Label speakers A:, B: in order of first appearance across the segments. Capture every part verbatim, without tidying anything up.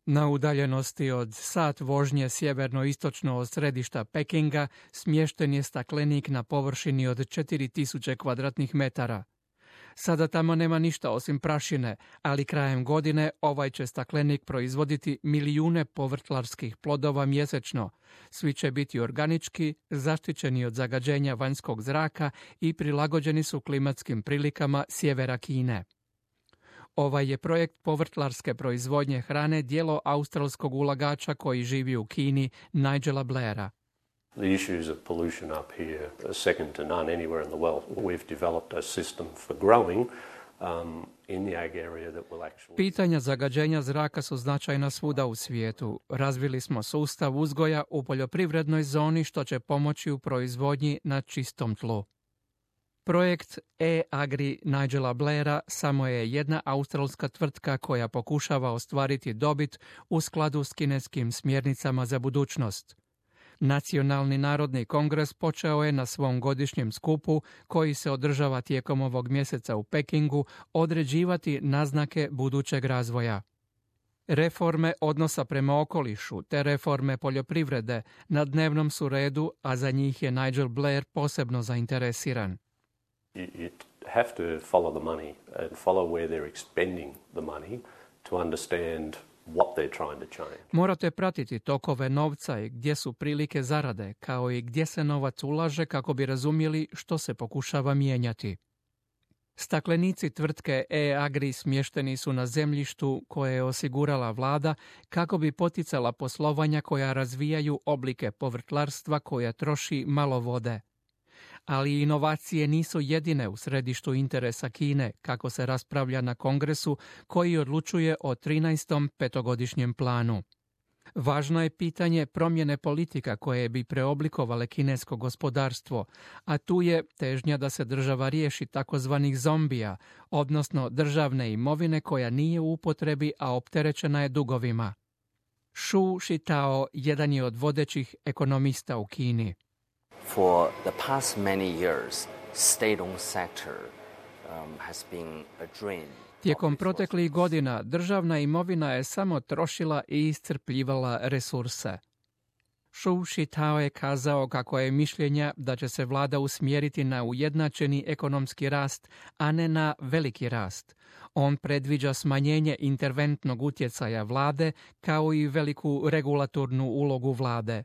A: Na udaljenosti od sat vožnje sjeverno-istočno od središta Pekinga smješten je staklenik na površini od četiri tisuće kvadratnih metara. Sada tamo nema ništa osim prašine, ali krajem godine ovaj će staklenik proizvoditi milijune povrtlarskih plodova mjesečno. Svi će biti organički, zaštićeni od zagađenja vanjskog zraka i prilagođeni su klimatskim prilikama sjevera Kine. Ovaj je projekt povrtlarske proizvodnje hrane djelo australskog ulagača koji živi u Kini, Nigela Blaira.
B: The issues of pollution up here are second to none anywhere in the world. We've developed a system for growing um, in the ag area that will actually...
A: Pitanja zagađenja zraka su značajna svuda u svijetu. Razvili smo sustav uzgoja u poljoprivrednoj zoni što će pomoći u proizvodnji na čistom tlu. Projekt e-Agri Nigela Blaira samo je jedna australska tvrtka koja pokušava ostvariti dobit u skladu s kineskim smjernicama za budućnost. Nacionalni narodni kongres počeo je na svom godišnjem skupu, koji se održava tijekom ovog mjeseca u Pekingu, određivati naznake budućeg razvoja. Reforme odnosa prema okolišu te reforme poljoprivrede na dnevnom su redu, a za njih je Nigel Blair posebno zainteresiran.
B: You, you have to follow the money and follow where they're expending the money to understand what they're trying to change.
A: Morate pratiti tokove novca i gdje su prilike zarade, kao i gdje se novac ulaže kako bi razumjeli što se pokušava mijenjati. Staklenici tvrtke e-Agri smješteni su na zemljištu koje je osigurala vlada kako bi poticala poslovanja koja razvijaju oblike povrtlarstva koja troši malo vode. Ali inovacije nisu jedine u središtu interesa Kine, kako se raspravlja na kongresu koji odlučuje o trinaestom petogodišnjem planu. Važno je pitanje promjene politika koje bi preoblikovale kinesko gospodarstvo, a tu je težnja da se država riješi takozvanih zombija, odnosno državne imovine koja nije u upotrebi, a opterećena je dugovima. Shu Shitao jedan je od vodećih ekonomista u Kini.
C: For the past many years, state-owned sector um, has been a drain.
A: Tijekom proteklih godina državna imovina je samo trošila i iscrpljivala resurse. Shu Shitao je kazao kako je mišljenja da će se vlada usmjeriti na ujednačeni ekonomski rast, a ne na veliki rast. On predviđa smanjenje interventnog utjecaja vlade kao i veliku regulatornu ulogu vlade.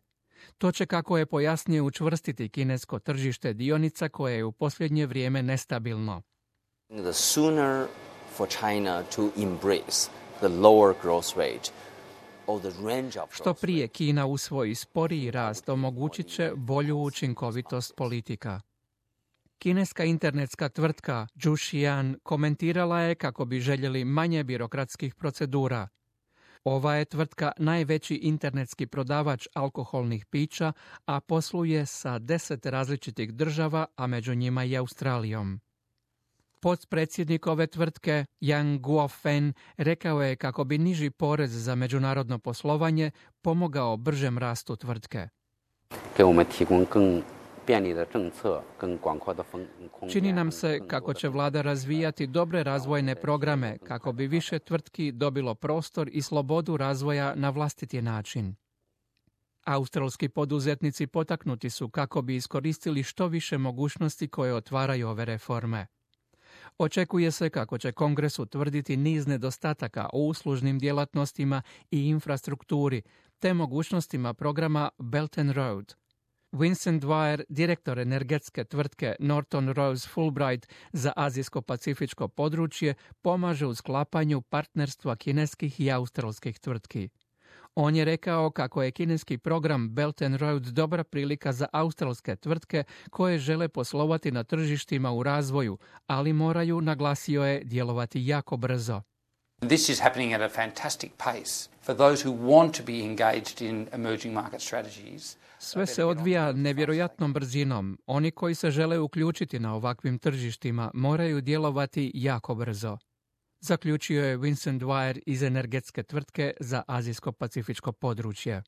A: To će, kako je pojasnio, učvrstiti kinesko tržište dionica koje je u posljednje vrijeme nestabilno.
C: The sooner for China to embrace the lower growth rate or the range of
A: Što prije Kina usvoji sporiji rast, omogućit će bolju učinkovitost politika. Kineska internetska tvrtka Zhuxian komentirala je kako bi željeli manje birokratskih procedura. Ova je tvrtka najveći internetski prodavač alkoholnih pića, a posluje sa deset različitih država, a među njima i Australijom. Potpredsjednik ove tvrtke, Yang Guofen, rekao je kako bi niži porez za međunarodno poslovanje pomogao bržem rastu tvrtke. Čini nam se kako će vlada razvijati dobre razvojne programe kako bi više tvrtki dobilo prostor i slobodu razvoja na vlastiti način. Australski poduzetnici potaknuti su kako bi iskoristili što više mogućnosti koje otvaraju ove reforme. Očekuje se kako će Kongres utvrditi niz nedostataka u uslužnim djelatnostima i infrastrukturi, te mogućnostima programa Belt and Road. Vincent Dwyer, direktor energetske tvrtke Norton Rose Fulbright za azijsko-pacifičko područje, pomaže u sklapanju partnerstva kineskih i australskih tvrtki. On je rekao kako je kineski program Belt and Road dobra prilika za australske tvrtke koje žele poslovati na tržištima u razvoju, ali moraju, naglasio je, djelovati jako brzo.
D: This is happening at a fantastic pace for those who want to be engaged in emerging market strategies.
A: Sve se odvija nevjerojatnom brzinom. Oni koji se žele uključiti na ovakvim tržištima moraju djelovati jako brzo. Zaključio je Vincent Dwyer iz energetske tvrtke za azijsko-pacifičko područje.